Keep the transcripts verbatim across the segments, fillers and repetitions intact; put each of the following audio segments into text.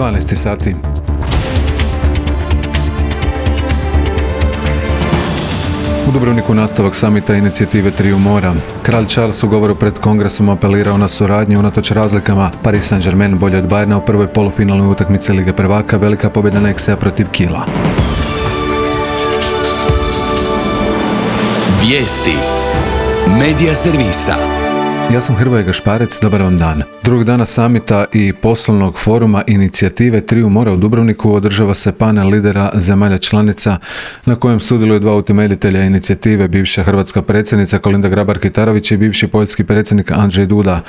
dvanaest sati. U Dubrovniku nastavak samita inicijative Triju mora. Kralj Charles u govoru pred kongresom apelirao na suradnju unatoč razlikama. Paris Saint-Germain bolje od Bayerna u prvoj polufinalnoj utakmici Lige prvaka, velika pobjeda Nexija protiv Kiela. Vijesti Medija servisa. Ja sam Hrvoje Gašparec, dobar vam dan. Drugog dana samita i poslovnog foruma inicijative Triju mora u Dubrovniku održava se panel lidera zemalja članica na kojem sudjeluju dva utemeljitelja inicijative, bivša hrvatska predsjednica Kolinda Grabar-Kitarović i bivši poljski predsjednik Andrzej Duda.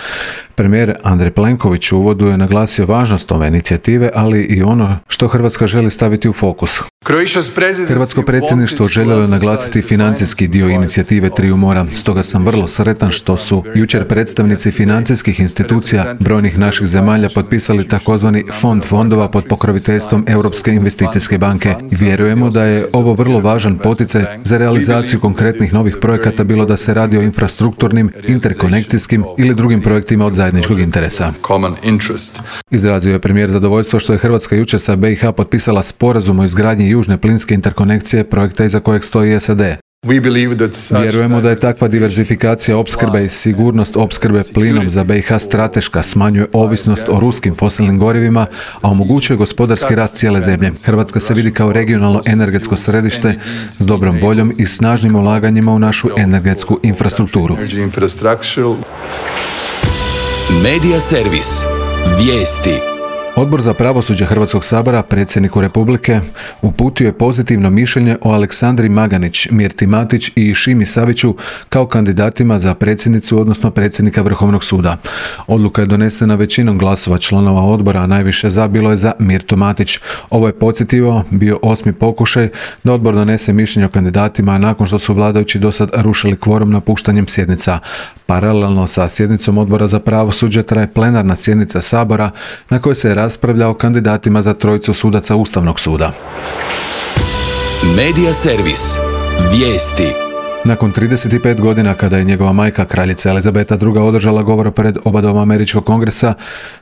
Premijer Andrej Plenković u uvodu je naglasio važnost ove inicijative, ali i ono što Hrvatska želi staviti u fokus. Hrvatsko predsjedništvo željelo je naglasiti financijski dio inicijative Triju mora, stoga sam vrlo sretan što su jučer predstavnici financijskih institucija brojnih naših zemalja potpisali takozvani fond fondova pod pokroviteljstvom Europske investicijske banke. Vjerujemo da je ovo vrlo važan poticaj za realizaciju konkretnih novih projekata, bilo da se radi o infrastrukturnim, interkonekcijskim ili drugim projektima od zajedničkog interesa. Izrazio je premijer zadovoljstvo što je Hrvatska jučer sa B i H potpisala sporazum o izgradnji južne plinske interkonekcije, projekta iza kojeg stoji S A D. Vjerujemo da je takva diverzifikacija opskrbe i sigurnost opskrbe plinom za B i H strateška, smanjuje ovisnost o ruskim fosilnim gorivima, a omogućuje gospodarski rast cijele zemlje. Hrvatska se vidi kao regionalno energetsko središte s dobrom voljom i snažnim ulaganjima u našu energetsku infrastrukturu. Medija servis. Vijesti. Odbor za pravosuđe Hrvatskog sabora predsjedniku Republike uputio je pozitivno mišljenje o Aleksandri Maganić, Mirti Matić i Šimi Saviću kao kandidatima za predsjednicu, odnosno predsjednika Vrhovnog suda. Odluka je donesena većinom glasova članova odbora, a najviše za bilo je za Mirtu Matić. Ovo je, podsjetio, bio osmi pokušaj da odbor donese mišljenje o kandidatima nakon što su vladajući dosad rušili kvorum napuštanjem sjednica. Paralelno sa sjednicom odbora za pravosuđe traje plenarna sjednica Sabora na kojoj se raspravlja o kandidatima za trojicu sudaca Ustavnog suda. Medija servis. Vijesti. Nakon trideset pet godina kada je njegova majka, kraljica Elizabeta druga, održala govor pred oba doma američkog kongresa,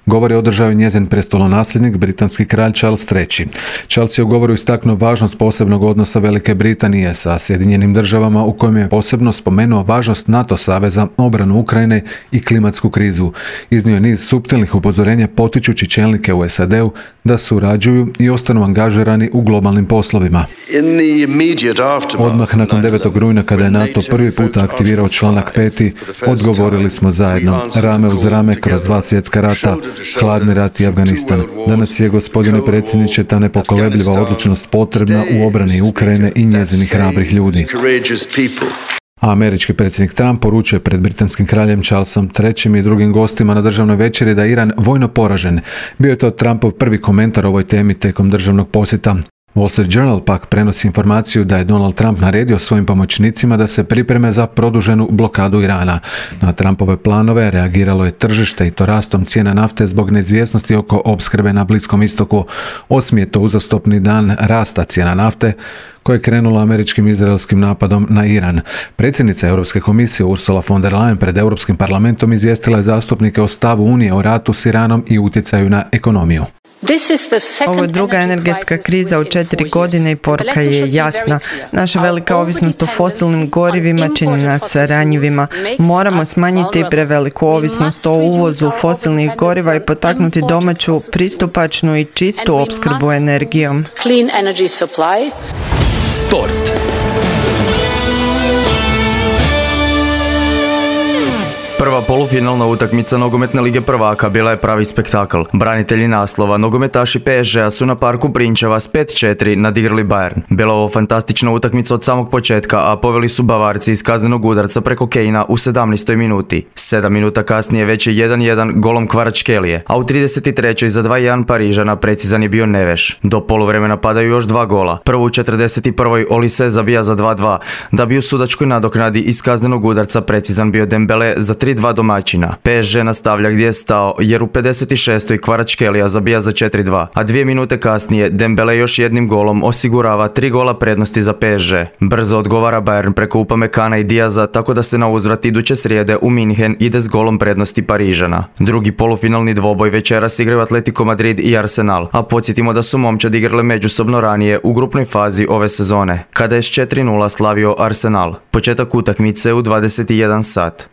govor je održao i njezin prestolonasljednik, britanski kralj Charles treći. Charles je u govoru istaknuo važnost posebnog odnosa Velike Britanije sa Sjedinjenim državama, u kojem je posebno spomenuo važnost NATO saveza, obranu Ukrajine i klimatsku krizu. Iznio je niz suptilnih upozorenja potičući čelnike u S A D-u da surađuju i ostanu angažirani u globalnim poslovima. Odmah nakon devetog rujna, kada je NATO prvi puta aktivirao članak peti, odgovorili smo zajedno, rame uz rame kroz dva svjetska rata, hladni rat i Afganistan. Danas je, gospodine predsjedniče, ta nepokolebljiva odlučnost potrebna u obrani Ukrajine i njezinih hrabrih ljudi. A američki predsjednik Trump poručuje pred britanskim kraljem Charlesom trećim i drugim gostima na državnoj večeri da je Iran vojno poražen. Bio je to Trumpov prvi komentar o ovoj temi tijekom državnog posjeta. Wall Street Journal pak prenosi informaciju da je Donald Trump naredio svojim pomoćnicima da se pripreme za produženu blokadu Irana. Na Trumpove planove reagiralo je tržište, i to rastom cijena nafte zbog neizvjesnosti oko opskrbe na Bliskom istoku. Osmi je to uzastopni dan rasta cijena nafte koja je krenula američkim i izraelskim napadom na Iran. Predsjednica Europske komisije Ursula von der Leyen pred Europskim parlamentom izvijestila je zastupnike o stavu Unije o ratu s Iranom i utjecaju na ekonomiju. Ovo je druga energetska kriza u četiri godine i poruka je jasna. Naša velika ovisnost o fosilnim gorivima čini nas ranjivima. Moramo smanjiti preveliku ovisnost o uvozu fosilnih goriva i potaknuti domaću, pristupačnu i čistu opskrbu energijom. Sport. Prva polufinalna utakmica Nogometne lige prvaka bila je pravi spektakl. Branitelji naslova, nogometaši P S G-a su na parku Prinčeva s pet četiri nadigrali Bayern. Bila ovo fantastična utakmica od samog početka, a poveli su Bavarci iz kaznenog udarca preko Kejna u sedamnaestoj minuti. Sedam minuta kasnije već je jedan jedan golom Kvaratskhelie, a u trideset trećoj za dva jedan Parižana precizan je bio Neves. Do poluvremena padaju još dva gola. Prvo u četrdeset prvoj Olise zabija za dva dva, da bi u sudačkoj nadoknadi iz kaznenog udarca precizan bio Dembele za tri tri dva domaćina. P S G nastavlja gdje je stao jer u pedeset šestoj Kvaratskhelia zabija za četiri dva, a dvije minute kasnije Dembele još jednim golom osigurava tri gola prednosti za P S G. Brzo odgovara Bayern preko Upamecana i Diaza, tako da se na uzvrat iduće srijede u Minhen ide s golom prednosti Parižana. Drugi polufinalni dvoboj večeras igraju Atletico Madrid i Arsenal, a podsjetimo da su momčad igrale međusobno ranije u grupnoj fazi ove sezone, kada je s četiri nula slavio Arsenal. Početak utakmice u dvadeset jedan sat.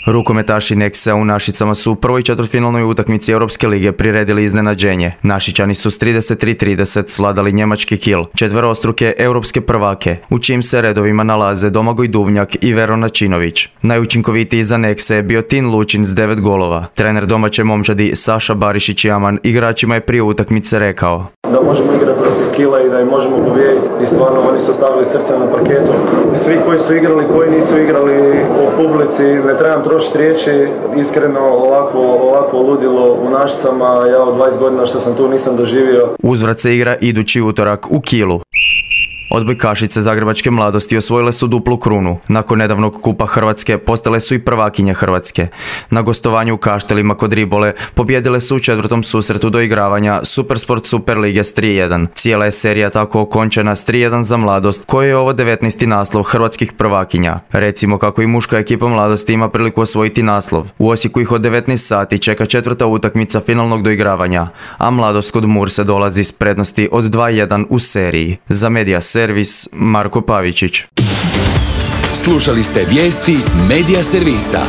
Rukometaši Nexe u Našicama su u prvoj četvrtfinalnoj utakmici Europske lige priredili iznenađenje. Našičani su s trideset tri trideset svladali njemački Kiel, četverostruke europske prvake, u čijim se redovima nalaze Domagoj Duvnjak i Veron Načinović. Najučinkovitiji za Nexe je bio Tin Lučin s devet golova. Trener domaće momčadi Saša Barišić-Jaman igračima je prije utakmice rekao: da možemo igrati protiv Kila i da im možemo pobijediti. I stvarno oni su ostavili srce na parketu. Svi koji su igrali, koji nisu igrali, o publici, ne trebam trošiti riječi. Iskreno ovako, ovako ludilo u Našicama, ja od dvadeset godina što sam tu nisam doživio. Uzvrat se igra idući utorak u Kielu. Odbojkašice zagrebačke mladosti osvojile su duplu krunu. Nakon nedavnog kupa Hrvatske postale su i prvakinje Hrvatske. Na gostovanju u Kaštelima kod Ribole pobjedile su u četvrtom susretu doigravanja Supersport Super Lige s tri jedan. Cijela je serija tako okončena s tri jedan za mladost, koja je ovo devetnaesti naslov hrvatskih prvakinja. Recimo kako i muška ekipa mladosti ima priliku osvojiti naslov. U Osijeku ih od devetnaest sati čeka četvrta utakmica finalnog doigravanja, a mladost kod Murse dolazi s prednosti od dva jedan u seriji. Za Medija Servis, Marko Pavičić. Slušali ste vijesti Medija Servisa.